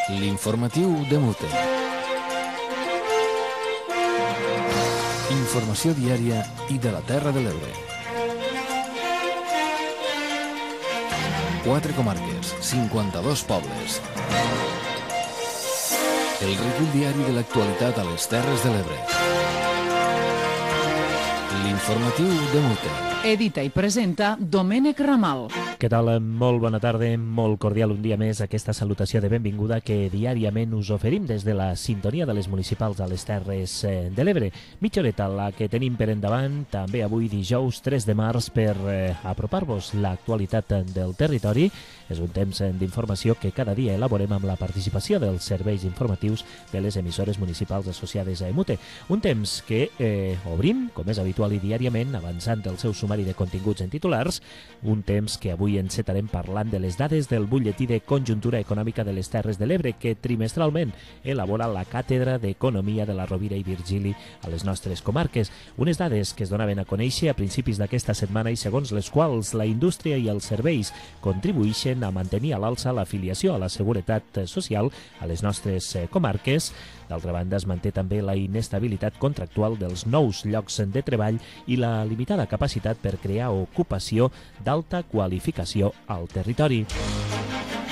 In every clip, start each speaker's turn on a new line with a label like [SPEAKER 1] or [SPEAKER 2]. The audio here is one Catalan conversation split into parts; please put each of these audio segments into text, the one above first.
[SPEAKER 1] L'informatiu de Mute. Informació diària i de la Terra de l'Ebre. 4 comarques, 52 pobles. El recull diari de l'actualitat a les Terres de l'Ebre. L'informatiu de Mute.
[SPEAKER 2] Edita i presenta Domènec Ramal.
[SPEAKER 3] Què tal? Molt bona tarda, molt cordial un dia més aquesta salutació de benvinguda que diàriament us oferim des de la sintonia de les municipals a les Terres de l'Ebre. Mitja horeta la que tenim per endavant, també avui dijous 3 de març per apropar-vos l'actualitat del territori. És un temps d'informació que cada dia elaborem amb la participació dels serveis informatius de les emissores municipals associades a EMUTE. Un temps que obrim, com és habitual i diàriament, avançant el seu sumari de continguts en titulars, un temps que avui encetarem parlant de les dades del butlletí de conjuntura econòmica de les Terres de l'Ebre que trimestralment elabora la Càtedra d'Economia de la Rovira i Virgili a les nostres comarques. Unes dades que es donaven a conèixer a principis d'aquesta setmana i segons les quals la indústria i els serveis contribueixen a mantenir a l'alça l'afiliació a la seguretat social a les nostres comarques. D'altra banda, es manté també la inestabilitat contractual dels nous llocs de treball i la limitada capacitat per crear ocupació d'alta qualificació al territori.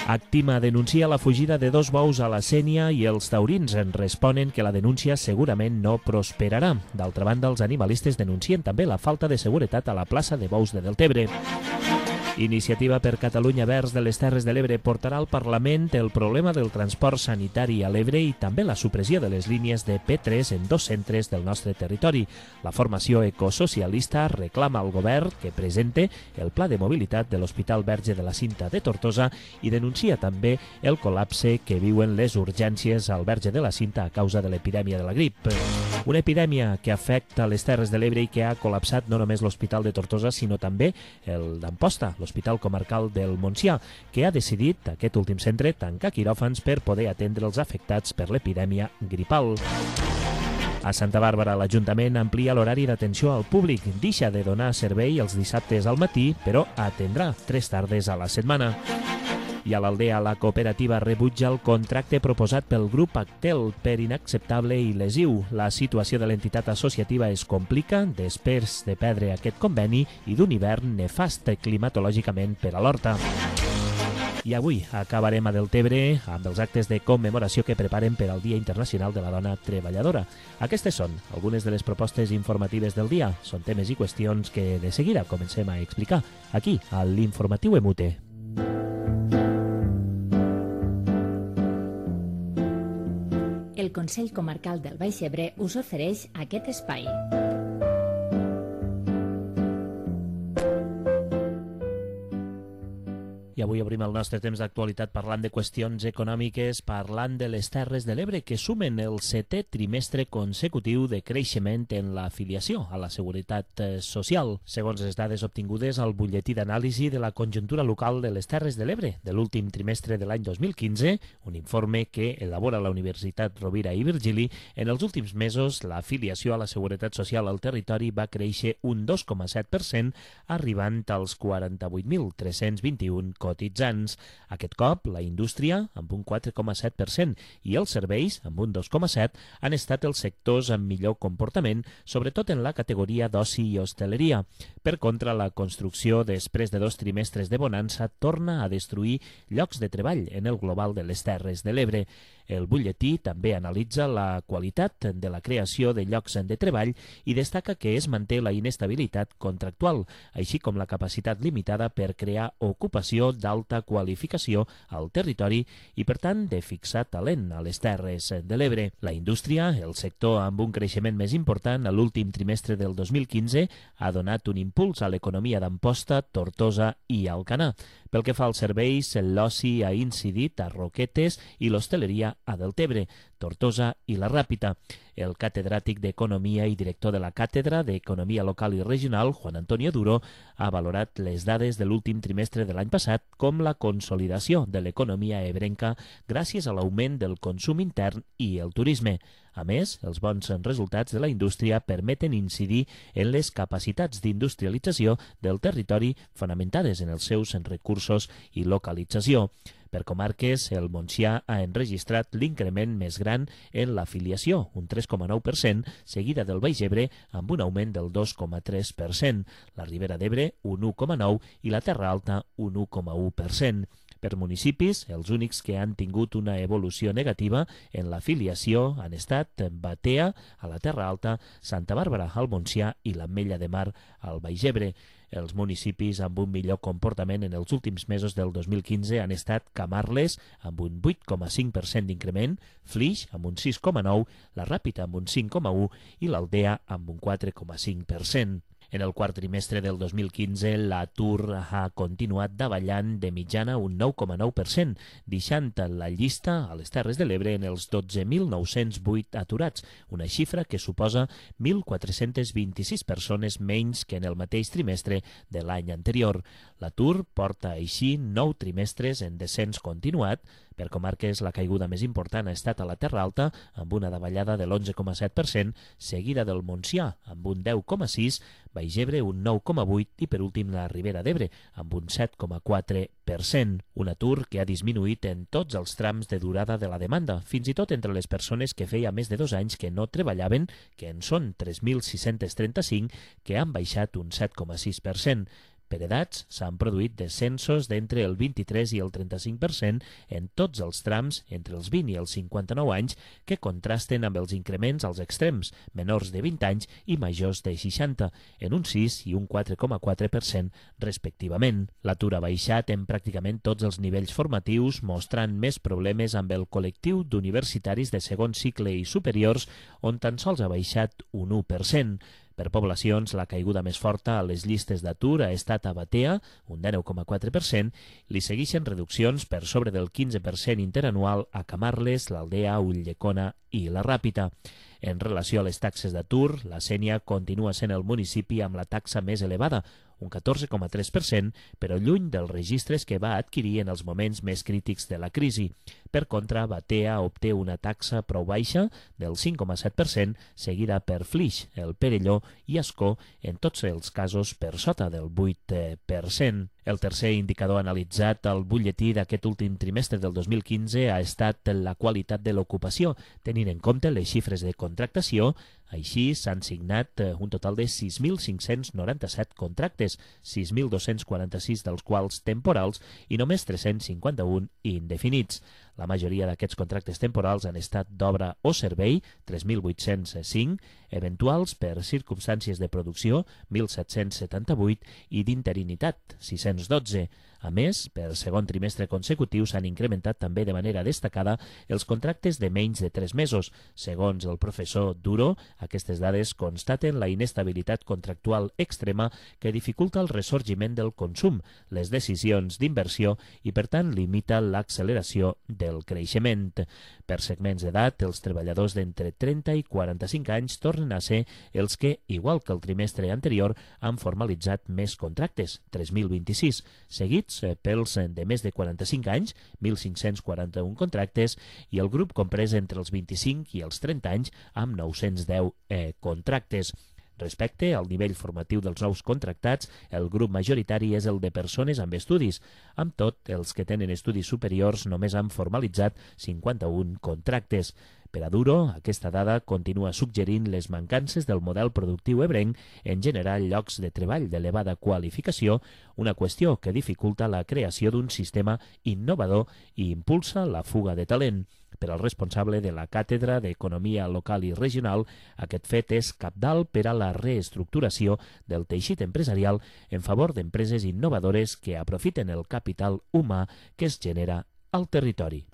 [SPEAKER 3] Actima denuncia la fugida de 2 bous a la Sénia i els taurins en responen que la denúncia segurament no prosperarà. D'altra banda, els animalistes denuncien també la falta de seguretat a la plaça de bous de Deltebre. Iniciativa per Catalunya Verds de les Terres de l'Ebre portarà al Parlament el problema del transport sanitari a l'Ebre i també la supressió de les línies de P3 en 2 centres del nostre territori. La formació ecosocialista reclama al govern que presente el pla de mobilitat de l'Hospital Verge de la Cinta de Tortosa i denuncia també el col·lapse que viuen les urgències al Verge de la Cinta a causa de l'epidèmia de la grip. Una epidèmia que afecta les Terres de l'Ebre i que ha col·lapsat no només l'Hospital de Tortosa, sinó també el d'Amposta, l'Hospital Comarcal del Montsià, que ha decidit, aquest últim centre, tancar quiròfans per poder atendre els afectats per l'epidèmia gripal. A Santa Bàrbara, l'Ajuntament amplia l'horari d'atenció al públic. Deixa de donar servei els dissabtes al matí, però atendrà 3 tardes a la setmana. I a l'Aldea, la cooperativa rebutja el contracte proposat pel grup Actel per inacceptable i lesiu. La situació de l'entitat associativa es complica després de perdre aquest conveni i d'un hivern nefast climatològicament per a l'horta. I avui acabarem a Deltebre amb els actes de commemoració que preparen per al Dia Internacional de la Dona Treballadora. Aquestes són algunes de les propostes informatives del dia. Són temes i qüestions que de seguida comencem a explicar aquí, a l'Informatiu EMUTE.
[SPEAKER 4] El Consell Comarcal del Baix Ebre us ofereix aquest espai.
[SPEAKER 3] I avui obrim el nostre temps d'actualitat parlant de qüestions econòmiques, parlant de les Terres de l'Ebre que sumen el 7è trimestre consecutiu de creixement en l'afiliació a la seguretat social. Segons les dades obtingudes al butlletí d'anàlisi de la conjuntura local de les Terres de l'Ebre de l'últim trimestre de l'any 2015, un informe que elabora la Universitat Rovira i Virgili, en els últims mesos l'afiliació a la seguretat social al territori va créixer un 2,7%, arribant als 48.321 cotitzants. Aquest cop, la indústria, amb un 4,7%, i els serveis, amb un 2,7%, han estat els sectors amb millor comportament, sobretot en la categoria d'oci i hostaleria. Per contra, la construcció, després de 2 trimestres de bonança, torna a destruir llocs de treball en el global de les Terres de l'Ebre. El butlletí també analitza la qualitat de la creació de llocs de treball i destaca que es manté la inestabilitat contractual, així com la capacitat limitada per crear ocupació d'alta qualificació al territori i, per tant, de fixar talent a les Terres de l'Ebre. La indústria, el sector amb un creixement més important a l'últim trimestre del 2015, ha donat un impuls a l'economia d'Amposta, Tortosa i Alcanar. Pel que fa als serveis, l'oci ha incidit a Roquetes i l'hostaleria a Deltebre, Tortosa i la Ràpita. El catedràtic d'Economia i director de la Càtedra d'Economia Local i Regional, Juan Antonio Duro, ha valorat les dades de l'últim trimestre de l'any passat com la consolidació de l'economia ebrenca gràcies a l'augment del consum intern i el turisme. A més, els bons resultats de la indústria permeten incidir en les capacitats d'industrialització del territori fonamentades en els seus recursos i localització. Per comarques, el Montsià ha enregistrat l'increment més gran en l'afiliació, un 3,9%, seguida del Baix Ebre amb un augment del 2,3%, la Ribera d'Ebre un 1,9% i la Terra Alta un 1,1%. Per municipis, els únics que han tingut una evolució negativa en l'afiliació han estat Batea, a la Terra Alta, Santa Bàrbara, al Montsià i l'Ametlla de Mar, al Baix Ebre. Els municipis amb un millor comportament en els últims mesos del 2015 han estat Camarles, amb un 8,5% d'increment, Flix, amb un 6,9%, la Ràpita, amb un 5,1% i l'Aldea, amb un 4,5%. En el quart trimestre del 2015, l'atur ha continuat davallant de mitjana un 9,9%, deixant la llista a les Terres de l'Ebre en els 12.908 aturats, una xifra que suposa 1.426 persones menys que en el mateix trimestre de l'any anterior. L'atur porta així 9 trimestres en descens continuat. Per comarques, la caiguda més important ha estat a la Terra Alta, amb una davallada de l'11,7%, seguida del Montsià, amb un 10,6%, Baix Ebre un 9,8% i per últim la Ribera d'Ebre, amb un 7,4%. Un atur que ha disminuït en tots els trams de durada de la demanda, fins i tot entre les persones que feia més de 2 anys que no treballaven, que en són 3.635, que han baixat un 7,6%. Per edats, s'han produït descensos d'entre el 23 i el 35% en tots els trams entre els 20 i els 59 anys que contrasten amb els increments als extrems, menors de 20 anys i majors de 60, en un 6 i un 4,4% respectivament. L'atur ha baixat en pràcticament tots els nivells formatius, mostrant més problemes amb el col·lectiu d'universitaris de segon cicle i superiors, on tan sols ha baixat un 1%. Per poblacions, la caiguda més forta a les llistes d'atur ha estat a Batea, un 19,4%, li segueixen reduccions per sobre del 15% interanual a Camarles, l'Aldea, Ulldecona i la Ràpita. En relació a les taxes d'atur, la Sénia continua sent el municipi amb la taxa més elevada, un 14,3%, però lluny dels registres que va adquirir en els moments més crítics de la crisi. Per contra, Batea obté una taxa prou baixa del 5,7%, seguida per Flix, el Perelló i Ascó, en tots els casos per sota del 8%. El tercer indicador analitzat al butlletí d'aquest últim trimestre del 2015 ha estat la qualitat de l'ocupació, tenint en compte les xifres de contractació. Així s'han signat un total de 6.597 contractes, 6.246 dels quals temporals i només 351 indefinits. La majoria d'aquests contractes temporals han estat d'obra o servei, 3.805, eventuals per circumstàncies de producció, 1.778, i d'interinitat, 612. A més, per segon trimestre consecutiu s'han incrementat també de manera destacada els contractes de menys de 3 mesos. Segons el professor Duro, aquestes dades constaten la inestabilitat contractual extrema que dificulta el ressorgiment del consum, les decisions d'inversió i, per tant, limita l'acceleració del creixement. Per segments d'edat, els treballadors d'entre 30 i 45 anys tornen a ser els que, igual que el trimestre anterior, han formalitzat més contractes, 3.026, seguits pels de més de 45 anys, 1.541 contractes, i el grup comprès entre els 25 i els 30 anys amb 910 contractes. Respecte al nivell formatiu dels nous contractats, el grup majoritari és el de persones amb estudis. Amb tot, els que tenen estudis superiors només han formalitzat 51 contractes. Per a Duro, aquesta dada continua suggerint les mancances del model productiu ebrenc en generar llocs de treball d'elevada qualificació, una qüestió que dificulta la creació d'un sistema innovador i impulsa la fuga de talent. Per al responsable de la Càtedra d'Economia Local i Regional, aquest fet és cabdal per a la reestructuració del teixit empresarial en favor d'empreses innovadores que aprofiten el capital humà que es genera al territori.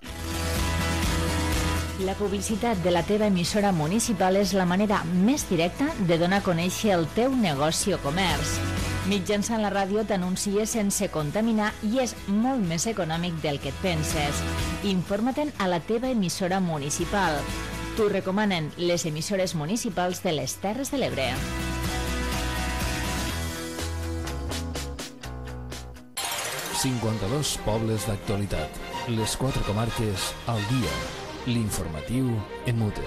[SPEAKER 4] La publicitat de la teva emissora municipal és la manera més directa de donar a conèixer el teu negoci o comerç. Mitjançant la ràdio t'anuncies sense contaminar i és molt més econòmic del que et penses. Informa-te'n a la teva emissora municipal. T'ho recomanen les emissores municipals de les Terres de l'Ebre.
[SPEAKER 1] ...52 pobles d'actualitat. Les 4 comarques al dia. L'informatiu en mute.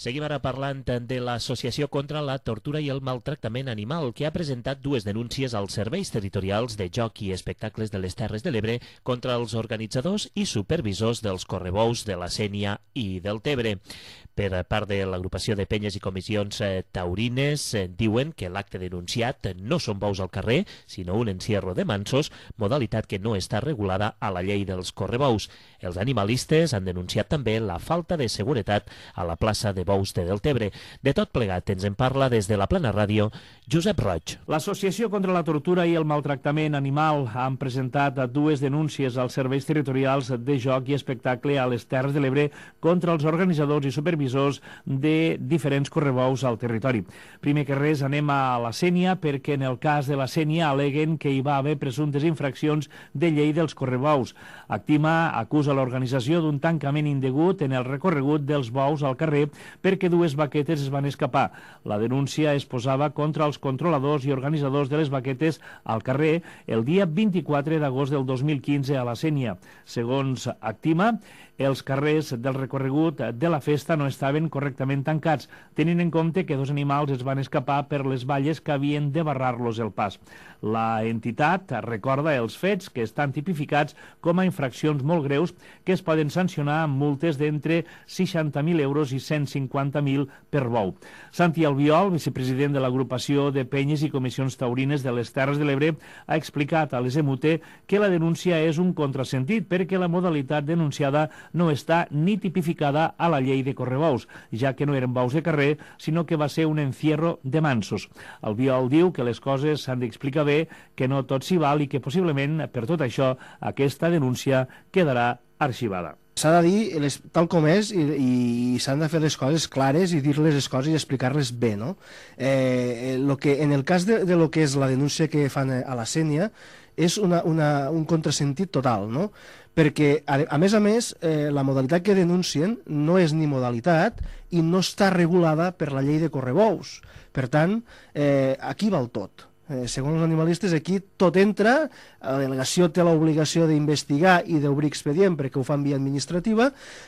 [SPEAKER 3] Seguim ara parlant de l'Associació contra la Tortura i el Maltractament Animal, que ha presentat dues denúncies als serveis territorials de joc i espectacles de les Terres de l'Ebre contra els organitzadors i supervisors dels correbous de la Sénia i del Tebre. Per part de l'agrupació de penyes i comissions taurines, diuen que l'acte denunciat no són bous al carrer, sinó un encierro de mansos, modalitat que no està regulada a la llei dels correbous. Els animalistes han denunciat també la falta de seguretat a la plaça de bous de Deltebre. De tot plegat ens en parla des de la Plana Ràdio Josep Roig.
[SPEAKER 5] L'Associació contra la Tortura i el Maltractament Animal han presentat dues denúncies als serveis territorials de joc i espectacle a les Terres de l'Ebre contra els organitzadors i supervisors de diferents correbous al territori. Primer que res anem a la Sénia, perquè en el cas de la Sénia aleguen que hi va haver presumptes infraccions de llei dels correbous. Actima acusa l'organització d'un tancament indegut en el recorregut dels bous al carrer perquè dues baquetes es van escapar. La denúncia es posava contra els controladors i organitzadors de les baquetes al carrer el dia 24 d'agost del 2015 a la Sénia. Segons Actima, els carrers del recorregut de la festa no estaven correctament tancats, tenint en compte que dos animals es van escapar per les valles que havien de barrar-los el pas. La entitat recorda els fets que estan tipificats com a infraccions molt greus que es poden sancionar amb multes d'entre 60.000 euros i 150.000 per bou. Santi Albiol, vicepresident de l'agrupació de penyes i comissions taurines de les Terres de l'Ebre, ha explicat a les EMUTE que la denúncia és un contrasentit perquè la modalitat denunciada no està ni tipificada a la llei de correbous, ja que no eren bous de carrer, sinó que va ser un encierro de mansos. Albiol diu que les coses s'han d'explicar bé, que no tot s'hi val i que possiblement, per tot això, aquesta denúncia quedarà arxivada.
[SPEAKER 6] S'ha de dir tal com és i s'han de fer les coses clares i dir-les les coses i explicar-les bé, no? En el cas de lo que és la denúncia que fan a la Sénia és un contrasentit total, no? Perquè, a més, la modalitat que denuncien no és ni modalitat i no està regulada per la llei de correbous. Per tant, aquí val tot. Segons els animalistes, aquí tot entra, la delegació té l'obligació d'investigar i d'obrir expedient perquè ho fan via administrativa,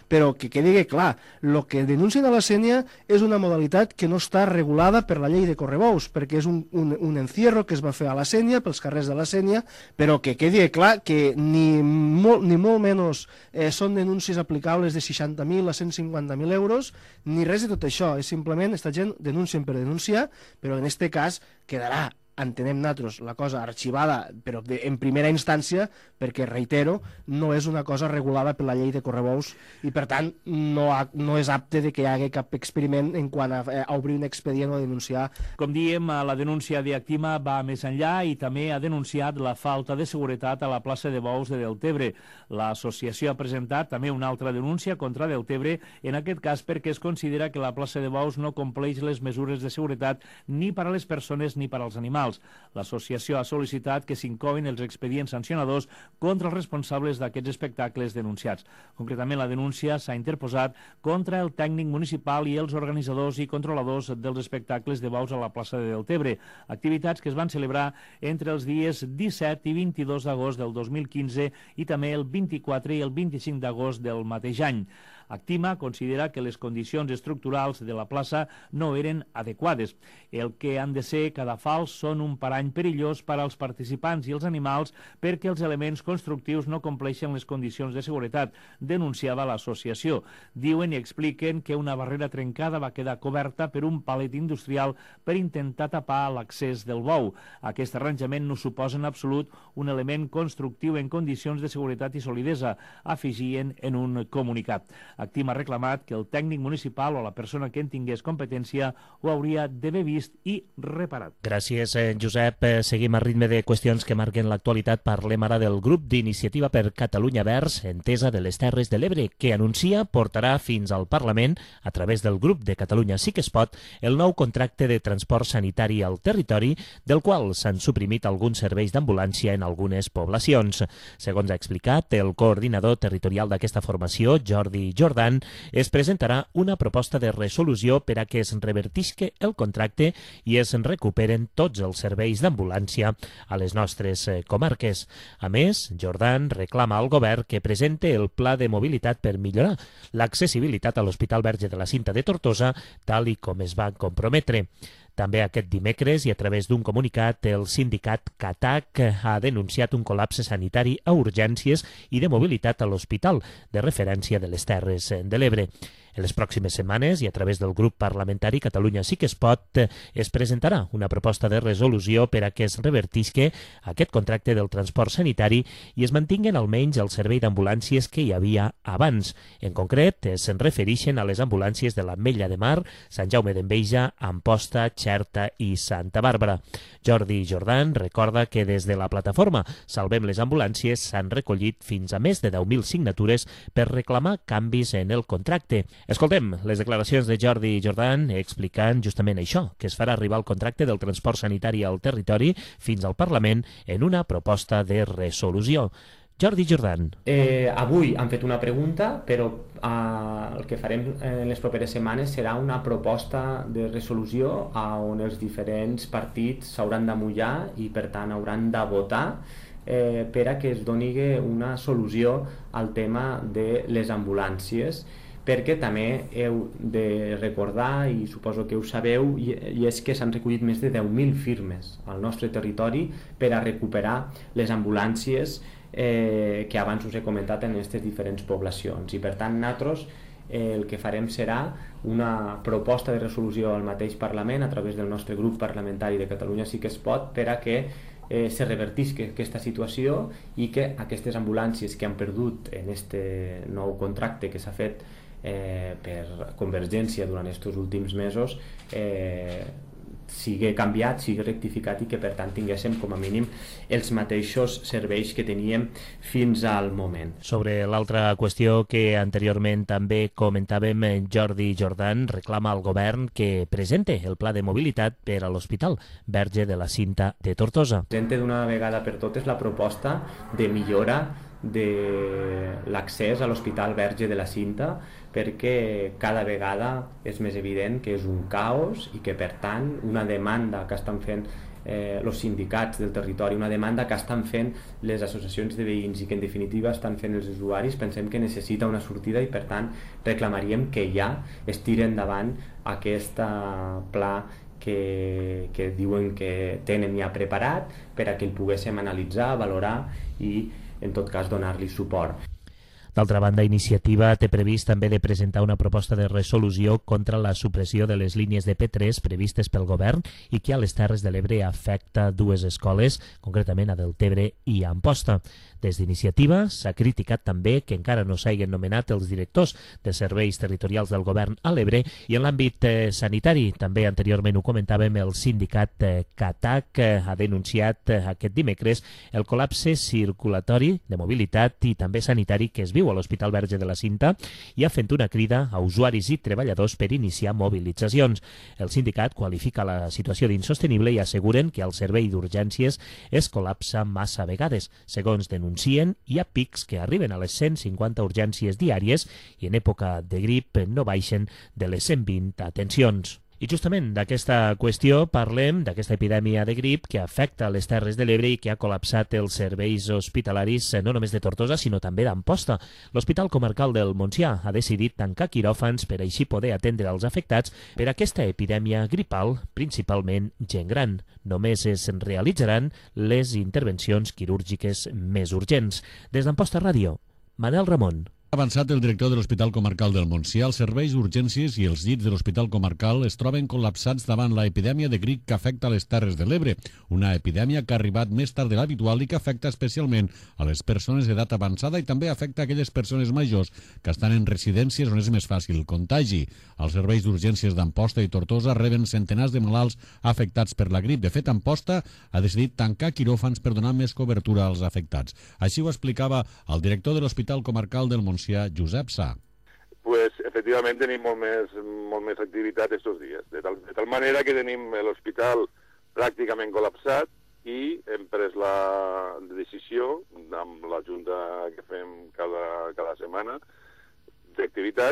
[SPEAKER 6] però que quedi clar, el que denuncien a la Sénia és una modalitat que no està regulada per la llei de correbous, perquè és un encierro que es va fer a la Sénia, pels carrers de la Sénia, però que quedi clar que ni molt menys són denúncies aplicables de 60.000 a 150.000 euros, ni res de tot això, és simplement esta gent denuncien per denunciar, però en aquest cas quedarà, entenem nosaltres, la cosa arxivada, però en primera instància, perquè, reitero, no és una cosa regulada per la llei de correbous i, per tant, no és apte de que hi hagi cap experiment en quant a obrir un expedient o denunciar.
[SPEAKER 5] Com diem, la denúncia d'Actima va més enllà i també ha denunciat la falta de seguretat a la plaça de bous de Deltebre. L'associació ha presentat també una altra denúncia contra Deltebre, en aquest cas perquè es considera que la plaça de bous no compleix les mesures de seguretat ni per a les persones ni per als animals. L'associació ha sol·licitat que s'incloguin els expedients sancionadors contra els responsables d'aquests espectacles denunciats. Concretament, la denúncia s'ha interposat contra el tècnic municipal i els organitzadors i controladors dels espectacles de bous a la plaça de Deltebre, activitats que es van celebrar entre els dies 17 i 22 d'agost del 2015 i també el 24 i el 25 d'agost del mateix any. Actima considera que les condicions estructurals de la plaça no eren adequades. El que han de ser cadafals són un parany perillós per als participants i els animals perquè els elements constructius no compleixen les condicions de seguretat, denunciava l'associació. Diuen i expliquen que una barrera trencada va quedar coberta per un palet industrial per intentar tapar l'accés del bou. Aquest arranjament no suposa en absolut un element constructiu en condicions de seguretat i solidesa, afegien en un comunicat. Actima ha reclamat que el tècnic municipal o la persona que en tingués competència ho hauria d'haver vist i reparat.
[SPEAKER 3] Gràcies, Josep. Seguim a ritme de qüestions que marquen l'actualitat. Parlem ara del grup d'Iniciativa per Catalunya Verds, Entesa de les Terres de l'Ebre, que anuncia portarà fins al Parlament, a través del grup de Catalunya Sí que es pot, el nou contracte de transport sanitari al territori, del qual s'han suprimit alguns serveis d'ambulància en algunes poblacions. Segons ha explicat el coordinador territorial d'aquesta formació, Jordi Jordi, Jordan, es presentarà una proposta de resolució per a que es revertisca el contracte i es recuperen tots els serveis d'ambulància a les nostres comarques. A més, Jordan reclama al govern que presente el pla de mobilitat per millorar l'accessibilitat a l'Hospital Verge de la Cinta de Tortosa, tal i com es va comprometre. També aquest dimecres i a través d'un comunicat, el sindicat CATAC ha denunciat un col·lapse sanitari a urgències i de mobilitat a l'hospital de referència de les Terres de l'Ebre. En les pròximes setmanes i a través del grup parlamentari Catalunya Sí que es pot es presentarà una proposta de resolució per a que es revertisca aquest contracte del transport sanitari i es mantinguen almenys el servei d'ambulàncies que hi havia abans. En concret, se'n refereixen a les ambulàncies de l'Ametlla de Mar, Sant Jaume d'Enveja, Amposta, Xerta i Santa Bàrbara. Jordi Jordan recorda que des de la plataforma Salvem les Ambulàncies s'han recollit fins a més de 10.000 signatures per reclamar canvis en el contracte. Escoltem les declaracions de Jordi Jordan explicant justament això, que es farà arribar el contracte del transport sanitari al territori fins al Parlament en una proposta de resolució. Jordi Jordan.
[SPEAKER 7] Avui han fet una pregunta, però el que farem en les properes setmanes serà una proposta de resolució on els diferents partits s'hauran de mullar i per tant hauran de votar per a que es doni una solució al tema de les ambulàncies, perquè també heu de recordar, i suposo que ho sabeu, i és que s'han recollit més de 10.000 firmes al nostre territori per a recuperar les ambulàncies que abans us he comentat en aquestes diferents poblacions. I per tant nosaltres el que farem serà una proposta de resolució al mateix Parlament a través del nostre grup parlamentari de Catalunya Sí que es pot per a que se revertisca aquesta situació i que aquestes ambulàncies que han perdut en este nou contracte que s'ha fet per Convergència durant aquests últims mesos sigui canviat, sigui rectificat i que per tant tinguéssim com a mínim els mateixos serveis que teníem fins al moment.
[SPEAKER 3] Sobre l'altra qüestió que anteriorment també comentàvem, Jordi Jordan reclama al govern que presente el pla de mobilitat per a l'Hospital Verge de la Cinta de Tortosa.
[SPEAKER 7] Presente d'una vegada per totes la proposta de millora de l'accés a l'Hospital Verge de la Cinta, perquè cada vegada és més evident que és un caos i que per tant una demanda que estan fent els sindicats del territori, una demanda que estan fent les associacions de veïns i que en definitiva estan fent els usuaris, pensem que necessita una sortida i per tant reclamaríem que ja es tiri endavant aquest pla que diuen que tenen ja preparat per a que el poguéssim analitzar, valorar i en tot cas donar-li suport.
[SPEAKER 3] D'altra banda, Iniciativa té previst també de presentar una proposta de resolució contra la supressió de les línies de P3 previstes pel govern i que a les Terres de l'Ebre afecta dues escoles, concretament a Deltebre i a Amposta. Des d'Iniciativa s'ha criticat també que encara no s'hagin nomenat els directors de serveis territorials del govern a l'Ebre i en l'àmbit sanitari. També anteriorment ho comentàvem, el sindicat CATAC ha denunciat aquest dimecres el col·lapse circulatori de mobilitat i també sanitari que es viu a l'Hospital Verge de la Cinta i ha fet una crida a usuaris i treballadors per iniciar mobilitzacions. El sindicat qualifica la situació d'insostenible i asseguren que el servei d'urgències es col·lapsa massa vegades. Segons denuncien, hi ha pics que arriben a les 150 urgències diàries i en època de grip no baixen de les 120 atencions. I justament d'aquesta qüestió parlem, d'aquesta epidèmia de grip que afecta les Terres de l'Ebre i que ha col·lapsat els serveis hospitalaris no només de Tortosa, sinó també d'Amposta. L'Hospital Comarcal del Montsià ha decidit tancar quiròfans per així poder atendre els afectats per aquesta epidèmia gripal, principalment gent gran. Només es realitzaran les intervencions quirúrgiques més urgents. Des d'Amposta Ràdio, Manel Ramon.
[SPEAKER 8] Ha avançat el director de l'Hospital Comarcal del Montsià. Els serveis d'urgències i els llits de l'Hospital Comarcal es troben col·lapsats davant la epidèmia de grip que afecta les Terres de l'Ebre, una epidèmia que ha arribat més tard de l'habitual i que afecta especialment a les persones d'edat avançada i també afecta aquelles persones majors que estan en residències on és més fàcil el contagi. Els serveis d'urgències d'Amposta i Tortosa reben centenars de malalts afectats per la grip. De fet, Amposta ha decidit tancar quiròfans per donar més cobertura als afectats. Així ho explicava el director de l'Hospital Comarcal del Montsià, Josep Sá.
[SPEAKER 9] Pues efectivament tenim molt més activitat estos dies, de tal manera que tenim l'hospital pràcticament col·lapsat i hem pres la decisió amb la junta que fem cada setmana d'activitat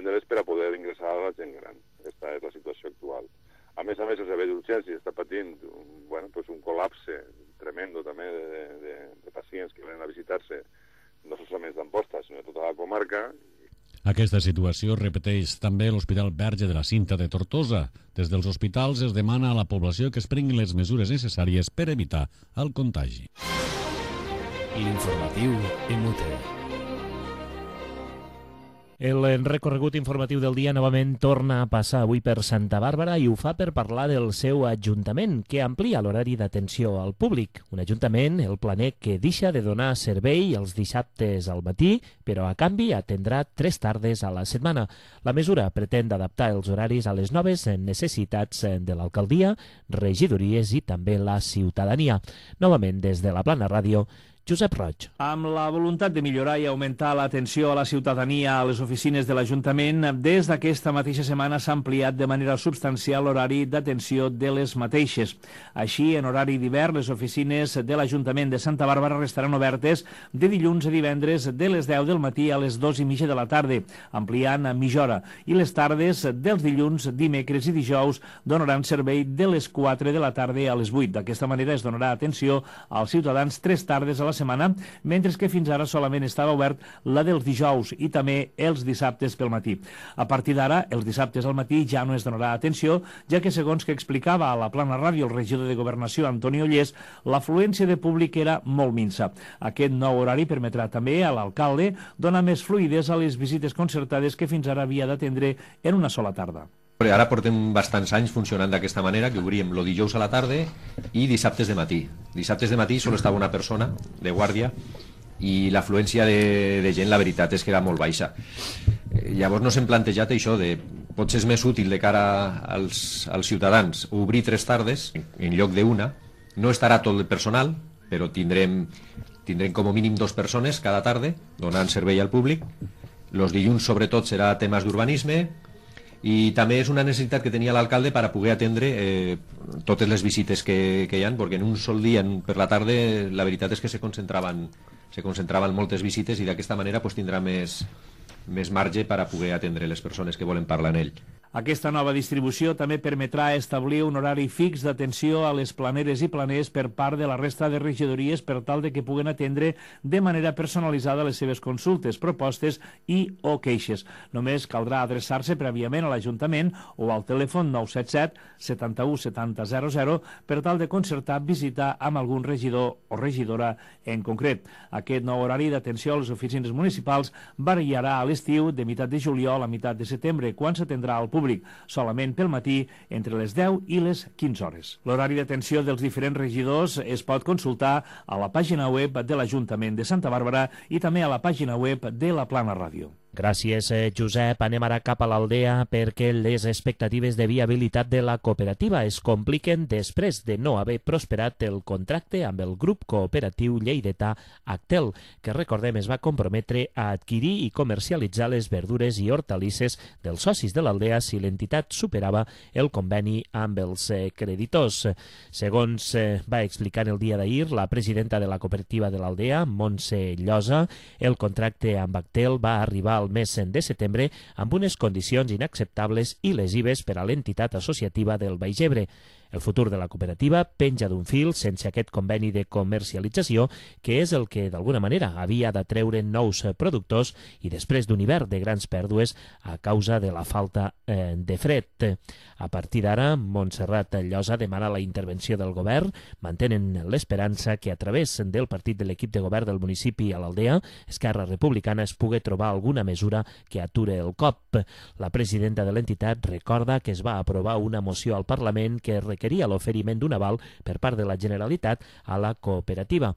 [SPEAKER 9] atendre-les per a poder ingressar a la gent gran. Aquesta és la situació actual. A més, el servei d'urgències està patint un col·lapse tremendo també de pacients que venen a visitar-se no solament d'Amposta, sinó de tota la comarca.
[SPEAKER 8] Aquesta situació repeteix també l'Hospital Verge de la Cinta de Tortosa. Des dels hospitals es demana a la població que es prenguin les mesures necessàries per evitar el contagi.
[SPEAKER 1] L'informatiu MUT.
[SPEAKER 3] El recorregut informatiu del dia novament torna a passar avui per Santa Bàrbara i ho fa per parlar del seu ajuntament, que amplia l'horari d'atenció al públic. Un ajuntament, el Planec, que deixa de donar servei els dissabtes al matí, però a canvi atendrà 3 tardes a la setmana. La mesura pretén adaptar els horaris a les noves necessitats de l'alcaldia, regidories i també la ciutadania. Novament, des de la Plana Ràdio, Josep Roig.
[SPEAKER 5] Amb la voluntat de millorar i augmentar l'atenció a la ciutadania a les oficines de l'Ajuntament, des d'aquesta mateixa setmana s'ha ampliat de manera substancial l'horari d'atenció de les mateixes. Així, en horari d'hivern, les oficines de l'Ajuntament de Santa Bàrbara restaran obertes de dilluns a divendres de les 10 del matí a les 2:30 de la tarda, ampliant a mitja hora, i les tardes dels dilluns, dimecres i dijous donaran servei de les 4 de la tarda a les 8. D'aquesta manera es donarà atenció als ciutadans 3 tardes a la setmana, mentre que fins ara solament estava obert la dels dijous i també els dissabtes pel matí. A partir d'ara, els dissabtes al matí ja no es donarà atenció, ja que, segons que explicava a la Plana Ràdio el regidor de Governació, Antoni Ollés, l'afluència de públic era molt minsa. Aquest nou horari permetrà també a l'alcalde donar més fluïdesa a les visites concertades que fins ara havia d'atendre en una sola tarda.
[SPEAKER 10] Ara portem bastants anys funcionant d'aquesta manera, que obríem el dijous a la tarda i dissabtes de matí. Dissabtes de matí sol estava una persona de guàrdia i l'afluència de gent, la veritat, és que era molt baixa. Llavors no s'hem plantejat això de potser és més útil de cara als ciutadans obrir 3 tardes en lloc d'una. No estarà tot el personal, però tindrem com a mínim 2 persones cada tarda donant servei al públic. Els dilluns sobretot serà temes d'urbanisme, i també és una necessitat que tenia l'alcalde per a poder atendre totes les visites que hi ha, perquè en un sol dia per la tarda la veritat és que se concentraven moltes visites i d'aquesta manera tindrà més marge per a poder atendre les persones que volen parlar en ell.
[SPEAKER 5] Aquesta nova distribució també permetrà establir un horari fix d'atenció a les planeres i planers per part de la resta de regidories per tal de que puguen atendre de manera personalitzada les seves consultes, propostes i o queixes. Només caldrà adreçar-se prèviament a l'Ajuntament o al telèfon 977 71 70 00 per tal de concertar visita amb algun regidor o regidora en concret. Aquest nou horari d'atenció a les oficines municipals variarà a l'estiu de meitat de juliol a meitat de setembre, quan s'atendrà al públic solament pel matí entre les 10 i les 15 hores. L'horari d'atenció dels diferents regidors es pot consultar a la pàgina web de l'Ajuntament de Santa Bàrbara i també a la pàgina web de la Plana Ràdio.
[SPEAKER 3] Gràcies, Josep. Anem ara cap a l'Aldea perquè les expectatives de viabilitat de la cooperativa es compliquen després de no haver prosperat el contracte amb el grup cooperatiu lleidatà Actel, que recordem es va comprometre a adquirir i comercialitzar les verdures i hortalisses dels socis de l'Aldea si l'entitat superava el conveni amb els creditors. Segons va explicar el dia d'ahir la presidenta de la cooperativa de l'Aldea, Montse Llosa, el contracte amb Actel va arribar al mes de setembre amb unes condicions inacceptables i lesives per a l'entitat associativa del Baix Ebre. El futur de la cooperativa penja d'un fil sense aquest conveni de comercialització, que és el que d'alguna manera havia d'atreure nous productors i després d'un hivern de grans pèrdues a causa de la falta de fred. A partir d'ara, Montserrat Llosa demana la intervenció del govern, mantenen l'esperança que a través del partit de l'equip de govern del municipi a l'Aldea, Esquerra Republicana, es pugui trobar alguna mesura que ature el cop. La presidenta de l'entitat recorda que es va aprovar una moció al Parlament que requeria l'oferiment d'un aval per part de la Generalitat a la cooperativa.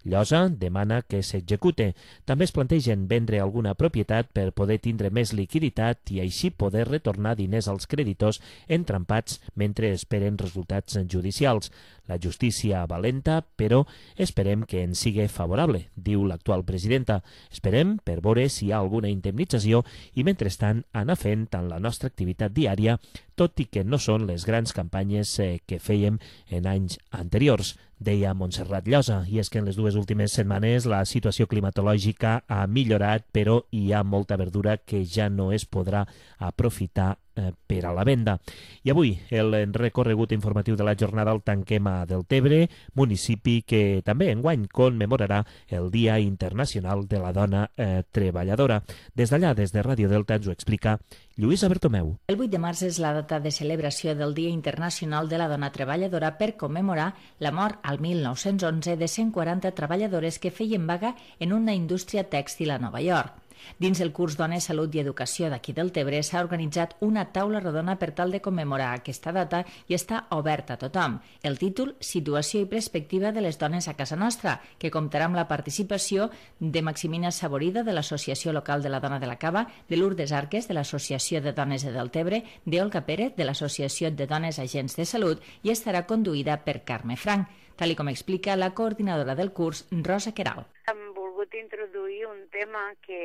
[SPEAKER 3] Llosa demana que s'execute. També es plantegen vendre alguna propietat per poder tindre més liquiditat i així poder retornar diners als creditors entrampats mentre esperen resultats judicials. la justícia valenta, però esperem que ens sigui favorable, diu l'actual presidenta. Esperem per veure si hi ha alguna indemnització i, mentrestant, anar fent tant la nostra activitat diària, tot i que no són les grans campanyes que fèiem en anys anteriors, deia Montserrat Llosa. I és que en les dues últimes setmanes la situació climatològica ha millorat, però hi ha molta verdura que ja no es podrà aprofitar per a la venda. I avui el recorregut informatiu de la jornada el tanquem a Deltebre, municipi que també enguany commemorarà el Dia Internacional de la Dona Treballadora. Des d'allà, des de Ràdio Delta, ens ho explica Lluïsa Bertomeu.
[SPEAKER 4] El 8 de març és la data de celebració del Dia Internacional de la Dona Treballadora per commemorar la mort al 1911 de 140 treballadores que feien vaga en una indústria tèxtil a Nova York. Dins el curs Dones, Salut i Educació d'aquí Deltebre s'ha organitzat una taula rodona per tal de commemorar aquesta data i està oberta a tothom. El títol, Situació i perspectiva de les dones a casa nostra, que comptarà amb la participació de Maximina Saborida, de l'Associació Local de la Dona de la Cava, de Lourdes Arques, de l'Associació de Dones de Deltebre, d'Olga Pérez, de l'Associació de Dones Agents de Salut, i estarà conduïda per Carme Frank, tal com explica la coordinadora del curs, Rosa Queralt.
[SPEAKER 11] Hem volgut introduir un tema que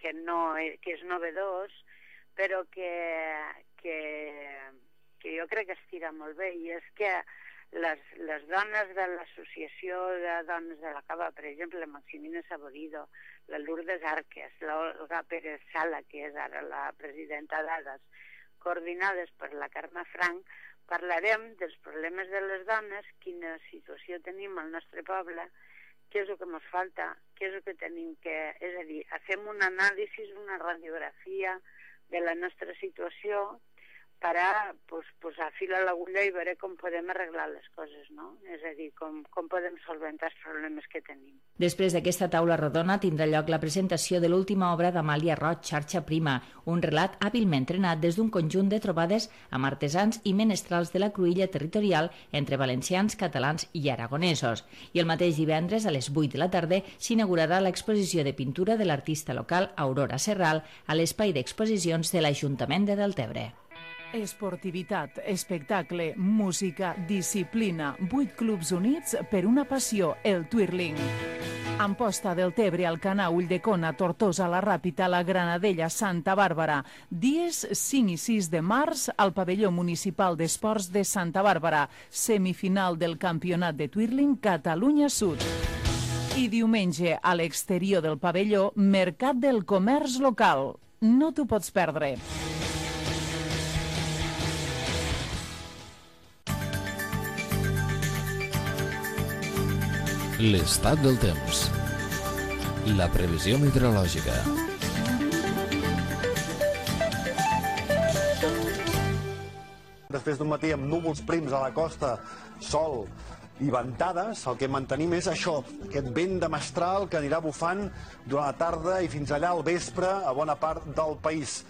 [SPEAKER 11] és novedós, però que jo crec que estira molt bé, i és que les dones de l'Associació de Dones de la Cava, per exemple, la Maximina Saborido, la Lourdes Arques, l'Olga Pérez Sala, que és ara la presidenta d'ADAS, coordinades per la Carme Frank, parlarem dels problemes de les dones, quina situació tenim al nostre poble, què és el que ens falta, què és el que tenim que... És a dir, fem un anàlisi, una radiografia de la nostra situació per a posar fil a l'agulla i veure com podem arreglar les coses, no? És a dir, com podem solventar els problemes que tenim.
[SPEAKER 4] Després d'aquesta taula rodona tindrà lloc la presentació de l'última obra d'Amàlia Roig, Xarxa Prima, un relat hàbilment trenat des d'un conjunt de trobades amb artesans i menestrals de la cruïlla territorial entre valencians, catalans i aragonesos. I el mateix divendres, a les 8 de la tarda, s'inaugurarà l'exposició de pintura de l'artista local Aurora Serral a l'espai d'exposicions de l'Ajuntament de Deltebre.
[SPEAKER 2] Esportivitat, espectacle, música, disciplina, 8 clubs units per una passió, el Twirling. Amposta del Tebre, Alcanar, Ulldecona, Tortosa, la Ràpita, la Granadella, Santa Bàrbara. Dies 5 i 6 de març al pavelló municipal d'esports de Santa Bàrbara. Semifinal del campionat de Twirling Catalunya Sud. I diumenge, a l'exterior del pavelló, Mercat del Comerç Local. No t'ho pots perdre.
[SPEAKER 1] L'estat del temps. La previsió meteorològica.
[SPEAKER 12] Després d'un matí amb núvols prims a la costa, sol i ventades, el que mantenim és això, aquest vent de mestral que anirà bufant durant la tarda i fins allà al vespre a bona part del país.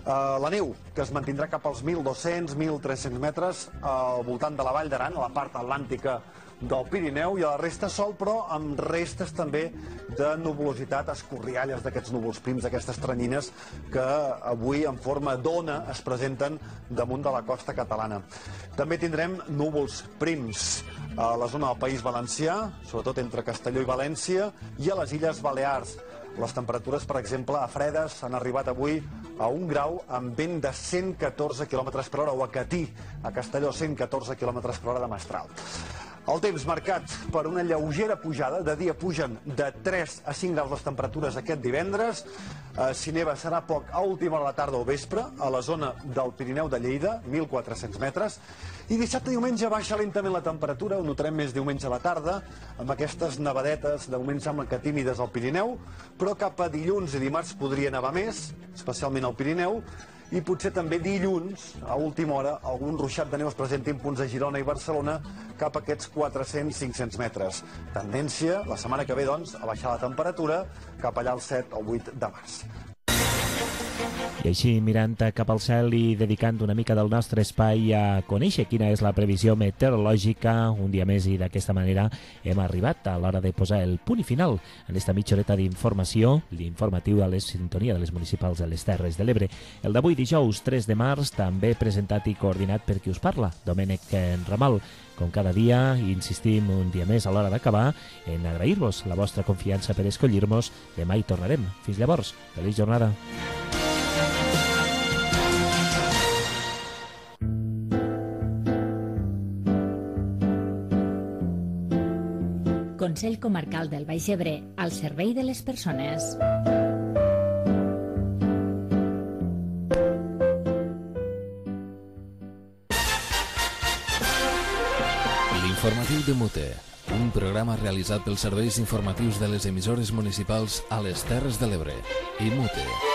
[SPEAKER 12] La neu, que es mantindrà cap als 1.200-1.300 metres al voltant de la Vall d'Aran, a la part atlàntica del Pirineu, i a la resta sol, però amb restes també de nuvolositat, escorrialles d'aquests núvols prims, aquestes tranyines que avui en forma d'ona es presenten damunt de la costa catalana. També tindrem núvols prims a la zona del País Valencià, sobretot entre Castelló i València, i a les Illes Balears. Les temperatures, per exemple, a Fredes han arribat avui a 1 grau amb vent de 114 km per hora, o a Catí, a Castelló, 114 km per hora de mestral. El temps marcat per una lleugera pujada, de dia pugen de 3 a 5 graus les temperatures aquest divendres, si neva serà poc a última hora de la tarda o vespre, a la zona del Pirineu de Lleida, 1.400 metres, i dissabte i diumenge baixa lentament la temperatura, ho notarem més diumenge a la tarda, amb aquestes nevadetes, de moment semblen que tímides al Pirineu, però cap a dilluns i dimarts podria nevar més, especialment al Pirineu, i potser també dilluns, a última hora, algun ruixat de neu es presenti en punts de Girona i Barcelona cap a aquests 400-500 metres. Tendència, la setmana que ve, doncs, a baixar la temperatura cap allà al 7 o 8 de març.
[SPEAKER 3] I així, mirant cap al cel i dedicant una mica del nostre espai a conèixer quina és la previsió meteorològica, un dia més, i d'aquesta manera hem arribat a l'hora de posar el punt i final en esta mitja horeta d'informació, l'informatiu a la sintonia de les municipals de les Terres de l'Ebre. El d'avui, dijous 3 de març, també presentat i coordinat per qui us parla, Domènec Ramal. Com cada dia, insistim un dia més a l'hora d'acabar en agrair-vos la vostra confiança per escollir-nos. Demà hi tornarem. Fins llavors, feliç jornada.
[SPEAKER 4] Consell Comarcal del Baix Ebre, al servei de les persones.
[SPEAKER 1] L'informatiu de Mute, un programa realitzat pels serveis informatius de les emissores municipals a les Terres de l'Ebre i Mute.